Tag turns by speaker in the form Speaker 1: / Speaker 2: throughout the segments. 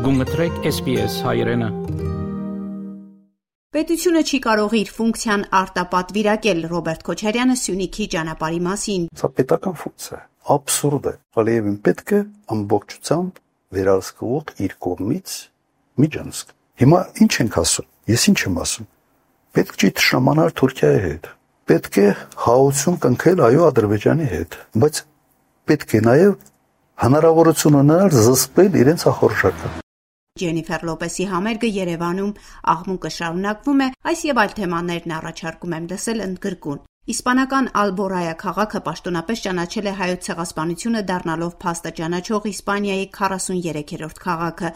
Speaker 1: Գումտրեք SPS հայրենը։
Speaker 2: Պետությունը չի կարող իր ֆունկցիան արտապատվիրակել Ռոբերտ Քոչարյանը Սյունիքի ճանապարհի մասին։
Speaker 3: Սա պետական ֆունկցիա է, աբսուրդ է։ Ալիևին պետք է ամբողջությամբ վերահսկվող իր կողմից միջանցք։ Հիմա ինչ ենք ասում։ Ես ինչ եմ ասում։ Պետք չի թշնամանալ Թուրքիայի հետ։ Պետք է հաղորդություն կնքել այո Ադրբեջանի հետ, բայց պետք է նաև հնարավորություն ունենալ զսպել իրենց ախորժակը։
Speaker 2: Ջենիֆեր Լոպեսի համերգը Երևանում աղմուկը շարունակվում է, այս եւ այլ թեմաներն առաջարկում եմ լսել ընդգրկուն։ Իսպանական Ալբորայա քաղաքը պաշտոնապես ճանաչել է հայոց ցեղասպանությունը դառնալով փաստը ճանաչող Իսպանիայի 43-րդ քաղաքը։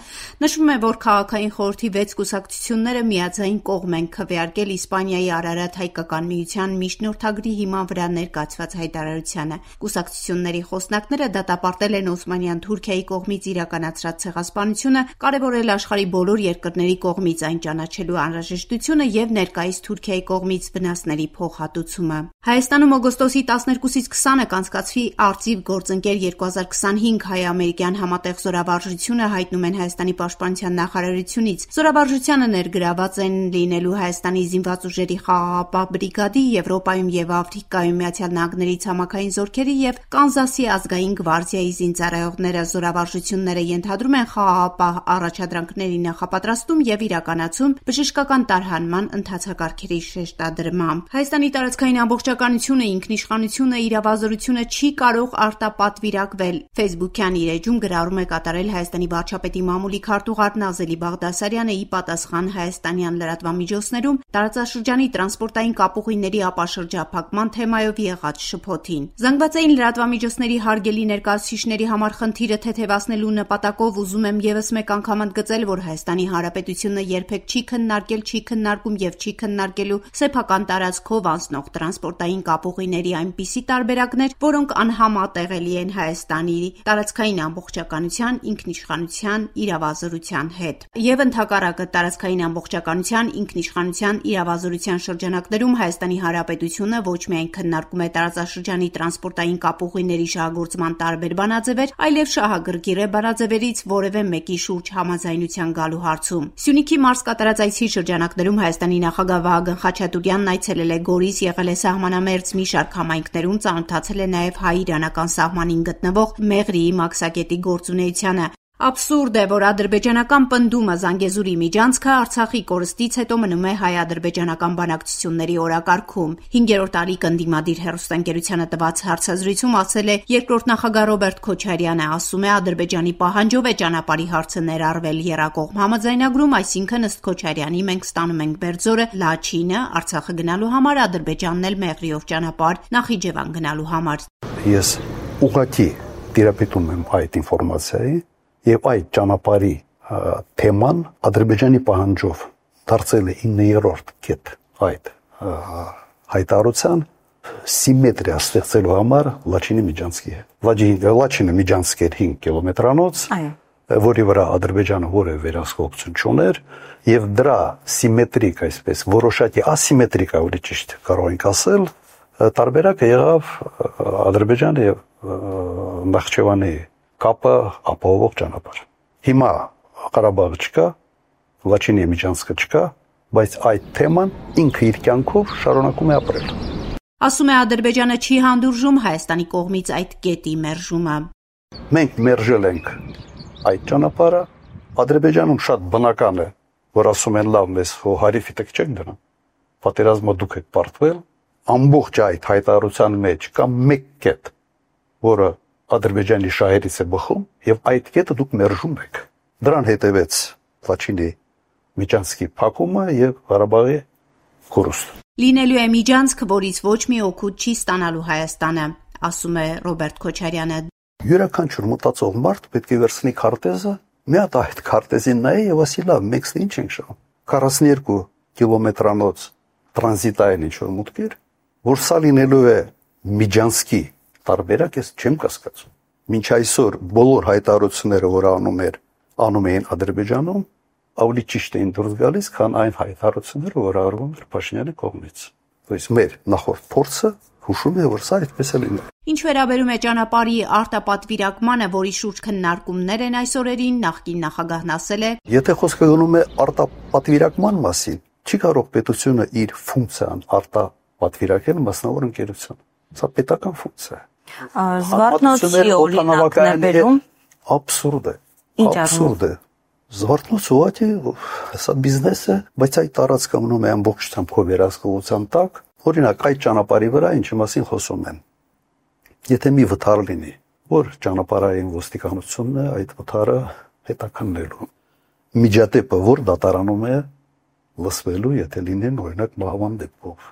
Speaker 2: Նշվում է, որ քաղաքային խորհրդի 6 կուսակցությունները միաձայն կողմ են քվեարկել Իսպանիայի Արարատ հայկական միության միջնորդագրի հիման վրա ներկայացված հայտարարությանը։ Կուսակցությունների խոսնակները դատապարտել են Օսմանյան Թուրքիայի կողմից իրականացրած ցեղասպանությունը, կարևորել աշխարհի բոլոր երկրների կողմից այն ճանաչելու անհրաժեշտությունը եւ ներկայիս Թուրքիայի կողմից վնասների փոխհատուցումը։ Հայաստանում օգոստոսի 12-ից 20-ը կանցկացվի Արծիվ գործընկեր 2025 հայ-ամերիկյան համատեղ զորավարժությունը հայտնում են Հայաստանի պաշտպանության նախարարությունից։ Զորավարժությանը ներգրաված են լինելու Հայաստանի զինված ուժերի խաղաղապահ բրիգադի, Եվրոպայում եւ Աֆրիկայում Միացյալ Նահանգների ցամաքային զորքերի եւ Կանզասի ազգային գվարդիայի զինծառայողները։ Զորավարժությունները ենթադրում են խաղաղապահ առաջադրանքների նախապատրաստում եւ իրականացում, բժշկական տարհանման ընթացակարգերի շեշտադրմամբ։ Հայաստանի տարածքային ամբողջականությունը, ինքնիշխանությունը, իրավազորությունը չի կարող արտապատվիրակվել։ Facebook-յան իր էջում գրառում է կատարել Հայաստանի վարչապետի մամուլի քարտուղար Նազելի Բաղդասարյանը ի պատասխան հայաստանյան լրատվամիջոցներում տարածաշրջանի տրանսպորտային կապուղիների ապաշրջափակման թեմայով եղած շփոթին։ Զանգվածային լրատվամիջոցների հարգելի ներկայացուցիչների համար խնդիրը թեթևացնելու նպատակով ուզում եմ եւս մեկ անգամ ընդգծել, որ Հայաստանի Հանրապետությունը երբեք չի քննարկել, չի քննարկում եւ չի քննարկելու սեփական տարածքով անցնող տրանսպորտային կապուղիների այնպիսի տարբերակներ, որոնք անհամատեղելի են Հայաստանի տարածքային ամբողջականության, ինքնիշխանության, իրավազորության հետ։ Եվ ընդհակառակը տարածքային ամբողջականության, ինքնիշխանության, իրավազորության շրջանակներում Հայաստանի Հանրապետությունը ոչ միայն քննարկում է տարածաշրջանի տրանսպորտային կապուղիների շահագործման տարբեր բանաձևեր, այլև շահագրգիռ է բանաձևերից որևէ մեկի շուրջ համաձայնության գալու հարցում։ Սյունիքի մարզ կատարած այցի շրջանակներում Հայաստանի նախագահ Վահագն Խաչատուրյանն այցելել է Գորիս, եղել է սահմանամերձ մի շարք համայնքներում, ծանոթացել է նաև հայ-իրանական սահմանին գտնվող Մեղրիի մաքսակետի գործունեությանը։ Աբսուրդ է, որ ադրբեջանական պնդումը Զանգեզուրի միջանցքը Արցախի կորստից հետո մնում է հայ-ադրբեջանական բանակցությունների օրակարգում։ 5-րդ տարի կնդիմադիր հեռուստաընկերությանը տված հարցազրույցում ասել է երկրորդ նախագահ Ռոբերտ Քոչարյանը, ասում է Ադրբեջանի պահանջով է ճանապարհի հարցը ներառվել եռակողմ համաձայնագրում, այսինքն ըստ Քոչարյանի մենք ստանում ենք Բերձորը, Լաչինը, Արցախը գնալու համար, Ադրբեջանն էլ Մեղրիով ճանապարհ, Նախիջևան գնալու համար։
Speaker 3: Ես ուղղակի տիրապետում եմ այդ ինֆորմացիայի եւ այդ ճանապարհի թեման Ադրբեջանի պահանջով դարձել է 9-րդ կետ այդ հայտարարության սիմետրիա ստեղծելու համար Լաչինի միջանցքի հետ։ Լաչինը միջանցք էր 5 կիլոմետրանոց, որի վրա Ադրբեջանը որևէ վերահսկողություն չուներ եւ դրա սիմետրիկ, այսպես որոշակի ասիմետրիկ, ավելի ճիշտ կարող ենք ասել, տարբերակը եղավ Ադրբեջանի եւ Նախիջևանի կապը ապահովող ճանապարհ։ Հիմա Ղարաբաղը չկա, Լաչինի միջանցքը չկա, բայց այդ թեման ինքը իր կյանքով շարունակում է ապրել։
Speaker 2: Ասում է Ադրբեջանը չի հանդուրժում Հայաստանի կողմից այդ կետի մերժումը։
Speaker 3: Մենք մերժել ենք այդ ճանապարհը, Ադրբեջանում շատ բնական է, որ ասում են լավ, մեզ հարիվի տակ չեք դնում, պատերազմը դուք եք պարտվել, ամբողջ այդ հայտարարության մեջ կա մեկ կետ, որը Ադրբեջանի շահերից է բխում եւ այդ կետը դուք մերժում եք։ Դրան հետևեց Լաչինի միջանցքի փակումը եւ Ղարաբաղի կորուստը։
Speaker 2: Լինելու է միջանցք, որից ոչ մի օգուտ չի ստանալու Հայաստանը, ասում է Ռոբերտ Քոչարյանը։
Speaker 3: Յուրաքանչյուր մտածող մարդ պետք է վերցնի քարտեզը, մի հատ այդ քարտեզին նայի եւ ասի լավ, մենք ինչ ենք շահում։ 42 կիլոմետրանոց տրանզիտային ինչ-որ մուտք էր, որ սա լինելու է միջանցքի տարբերակ, ես չեմ կասկածում։ Մինչ այսօր բոլոր հայտարարությունները, որ անում էին Ադրբեջանում, ավելի ճիշտ էին դուրս գալիս, քան այն հայտարարությունները, որ արվում էր Փաշինյանի կողմից։ Այս մեր նախորդ փորձը Հուշում է, որ սա այդպես է լինել։
Speaker 2: Ինչ վերաբերում է ճանապարհի արտապատվիրակմանը, որի շուրջ քննարկումներ են այս օրերին, նախկին նախագահն ասել է.
Speaker 3: Եթե խոսքը գնում է արտապատվիրակման մասին, չի կարող պետությունը իր ֆունկցիան արտապատվիրակել մասնավոր ընկերություն։ Սա պետական ֆունկցիա է։
Speaker 4: Զվարթնոցի օրինակն է բերում։
Speaker 3: Աբսուրդ է։ Աբսուրդ է։ Զվարթնոցը ուղղակի սա բիզնես է, բայց այդ տարածքը մնում է ամբողջությամբ քո վերահսկողության տակ։ Օրինակ այդ ճանապարհի վրա ինչի մասին խոսում են։ Եթե մի վթար լինի, որ ճանապարհային ոստիկանությունն է այդ վթարը հետաքննելու։ Միջադեպը որ դատարանում է լսվելու, եթե լինեն օրինակ մահվան դեպքով։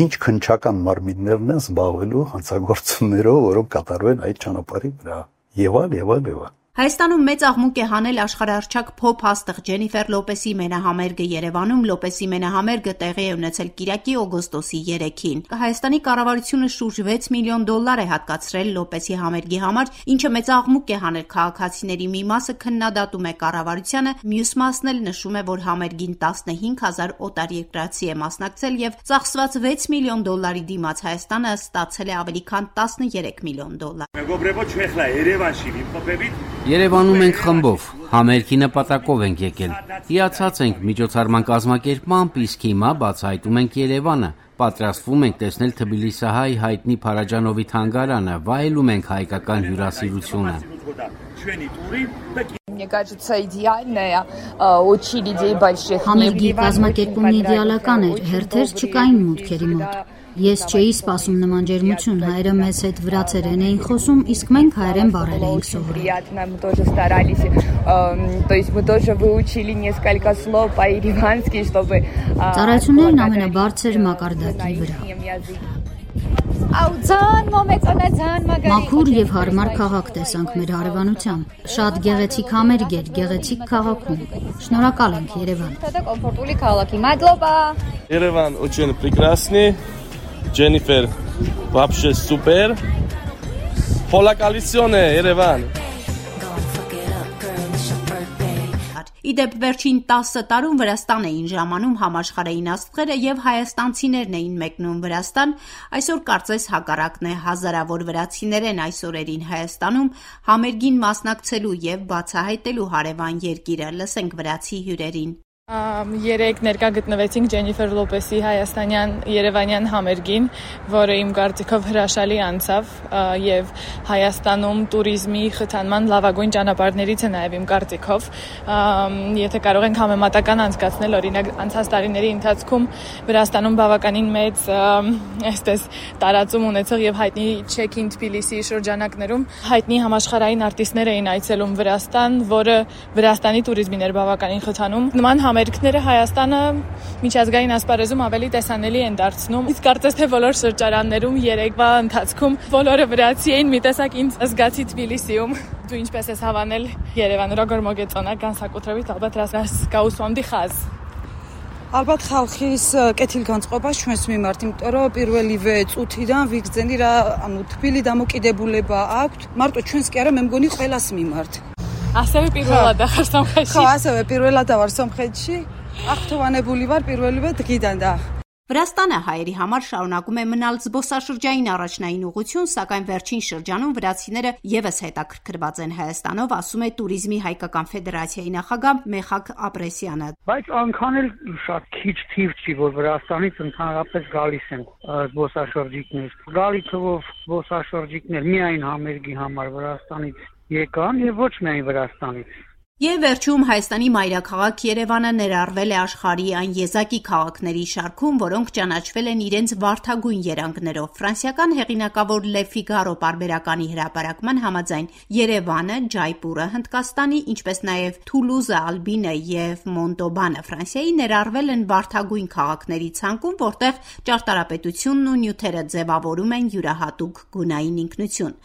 Speaker 3: Ինչ քննչական մարմիններն են զբաղվելու հանցագործություններով, որոնք կատարվում են այդ ճանապարհի վրա։ Եվ այլ։
Speaker 2: Հայաստանում մեծ աղմուկ է հանել աշխարհահռչակ փոփ հաստղ Ջենիֆեր Լոպեսի մենահամերգը Երևանում։ Լոպեսի մենահամերգը տեղի է ունեցել Կիրակի օգոստոսի 3-ին։ Հայաստանի կառավարությունը շուրջ $6 միլիոն է հատկացրել Լոպեսի համերգի համար, ինչը մեծ աղմուկ է հանել քաղաքացիների մի մասը քննադատում է կառավարությանը, մյուս մասն էլ նշում է, որ համերգին 15,000 օտարերկրացի է մասնակցել եւ ծախսված $6 միլիոն դիմաց Հայաստանը ստացել է ավելի քան $13 միլիոն։
Speaker 5: Երևանում ենք խմբով, համերգի նպատակով ենք եկել, հիացած ենք միջոցառման կազմակերպմամբ, իսկ հիմա բացահայտում ենք Երևանը, պատրաստվում ենք տեսնել Թբիլիսահայ հայտնի Փարաջանովի թանգարանը, վայելում ենք հայկական հյուրասիրությունը։
Speaker 6: Համերգի կազմակերպումն իդեալական էր, հերթեր չկային մուտքերի մոտ։ Ես չէի սպասում նման ջերմություն, հայերը մեզ հետ վրացերեն էին խոսում, իսկ մենք հայերեն բառեր էինք սովորում։ Ծառայություններն ամենաբարձր մակարդակի վրա։ Մաքուր եւ հարմար քաղաք տեսանք մեր հարևանությամբ։ Շատ գեղեցիկ համերգ էր, գեղեցիկ քաղաքում։ Շնորհակալ ենք Երևան։
Speaker 7: Երևան очень прекрасный. Ջենիֆեր, вообще super. Հոլակալիսիոն է Երևան։
Speaker 2: Իդեպ վերջին 10 տարում Վրաստան էին ժամանում համաշխարհային աստղերը եւ հայաստանցիներն էին մեկնում Վրաստան, այսօր կարծես հակառակն է, հազարավոր վրացիներ են այս օրերին Հայաստանում համերգին մասնակցելու եւ բացահայտելու հարևան երկիրը, լսենք վրացի հյուրերին։
Speaker 8: Երեք ներկա գտնվեցինք Ջենիֆեր Լոպեսի հայաստանյան երևանյան համերգին, որը իմ կարծիքով հրաշալի անցավ եւ Հայաստանում туриզմի խթանման լավագույն ճանապարհներից է նաեւ իմ կարծիքով։ Եթե կարող ենք համեմատական անցկացնել, օրինակ անցած տարիների ընթացքում Վրաստանում բավականին մեծ այսպես տարածում ունեցող եւ հայտնի Check-in Tbilisi շրջանակներում հայտնի համաշխարհային արտիստներ էին այցելում Վրաստան, որը Վրաստանի туриզմին էր բավականին խթանում։ Նման Համերգները Հայաստանը միջազգային ասպարեզում ավելի տեսանելի են դարձնում։ Իսկ կարծես թե բոլոր շրջարաններում երեկվա ընթացքում բոլորը վրացի էին, մի տեսակ ինձ զգացի Թբիլիսիում։ Դու ինչպես ես հավանել Երևան, როგორ մոգեწონა განსაკუთრებით ალბათ რას გაუსვამდი ხაზს.
Speaker 9: Ალბათ ხალხის კეთილგანწყობა ჩვენს მიმართ, იმიტომ რომ პირველივე წუთიდან ვიგრძენი რა, ანუ თბილი დამოკიდებულება აქვს, მარტო ჩვენს კი არა, მე მგონი ყველას მიმართ.
Speaker 8: ასევე პირველად ახარ სომხეთში.
Speaker 9: ხო, ასევე პირველად ვარ სომხეთში. ախտოვանებული վար პირველივე დღიდან და
Speaker 2: Վրաստանը հայերի համար շարունակում է մնալ զբոսաշրջային առաջնային ուղղություն, սակայն վերջին շրջանում վրացիները եւս հետաքրքրված են Հայաստանով, ասում է Туриզմի հայկական ֆեդերացիայի նախագահ Մեխակ Ապրեսյանը։
Speaker 1: Բայց անգամ էլ շատ քիչ թիվ չի, որ Վրաստանից ընդհանրապես գալիս են զբոսաշրջիկներ։ Գալի թվով զբոսաշրջիկներ միայն համերգի համար Վրաստանից եկան եւ ոչ միայն Վրաստանից։
Speaker 2: Եվ վերջում Հայաստանի մայրաքաղաք Երևանը ներառվել է աշխարհի այն եզակի քաղաքների շարքում, որոնք ճանաչվել են իրենց վարդագույն երանգներով։ Ֆրանսիական հեղինակավոր Le Figaro պարբերականի հրապարակման համաձայն Երևանը, Ջայպուրը Հնդկաստանի, ինչպես նաև Թուլուզը, Ալբինը եւ Մոնտոբանը Ֆրանսիայի ներառվել են վարդագույն քաղաքների ցանկում, որտեղ ճարտարապետությունն ու նյութերը ձևավորում են յուրահատուկ գունային ինքնություն։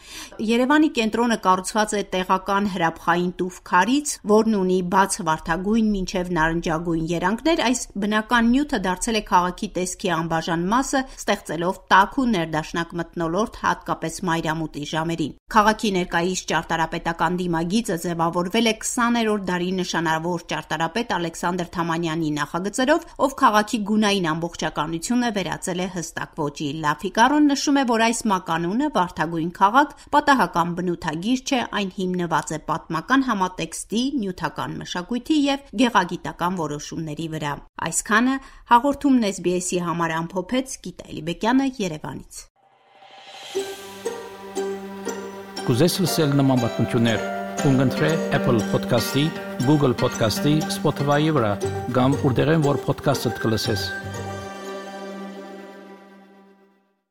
Speaker 2: Երևանի կենտրոնը կառուցված է տեղական հրաբխային տուֆ քարից, որն ունի բաց վարդագույն մինչև նարնջագույն երանգներ, այս բնական նյութը դարձել է քաղաքի տեսքի անբաժան մասը, ստեղծելով տաք ու ներդաշնակ մթնոլորտ, հատկապես մայրամուտի ժամերին։ Քաղաքի ներկայիս ճարտարապետական դիմագիծը ձևավորվել է 20-րդ դարի նշանավոր ճարտարապետ Ալեքսանդր Թամանյանի նախագծերով, ով քաղաքի գունային ամբողջականությունը վերածել է հստակ ոճի։ Լաֆիկարոն նշում է, որ այս մականունը վարդագույն քաղաք պատահական բնութագիր չէ, այն հիմնված է պատմական համատեքստի, նյութական մշակույթի և գեղագիտական որոշումների վրա։ Այսքանը հաղորդումն SBS-ի համար ամփոփեց Գիտա Էլիբեկյանը Երևանից։
Speaker 10: Կուզես լսել նման բանություններ, կընտրե Apple Podcast-ի, Google Podcast-ի, Spotify-ի վրա, կամ որտեղեն որ podcast-ը կլսես։